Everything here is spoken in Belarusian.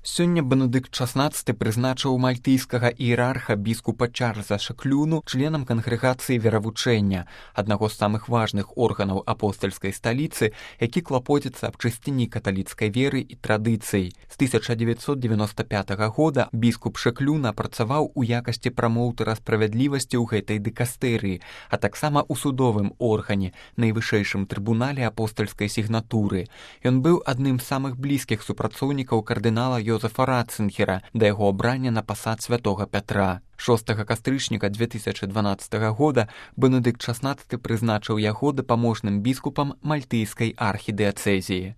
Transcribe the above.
Сёння Бенедыкт XVI прызначыў мальтыйскага іерарха біскупа Чарльза Шэклюну членам кангрэгацыі веравучэння, аднаго з самых важных органаў апостальскай сталіцы, які клапоціцца аб чысціні каталіцкай веры і традыцый. З 1995 года біскуп Шэклюна працаваў у якасці прамоўтара справядлівасці ў гэтай дыкастэрыі, а таксама ў судовым органе, найвышэйшым трыбунале апостальскай сігнатуры. Ён быў адным з самых блізкіх супрацоўнікаў кардынала Йозефа Ратцынгера да яго абрання на пасад святога Пятра. 6 кастрычніка 2012 года Бенедыкт XVI прызначыў яго дапаможным біскупам мальтыйскай архідыяцэзіі.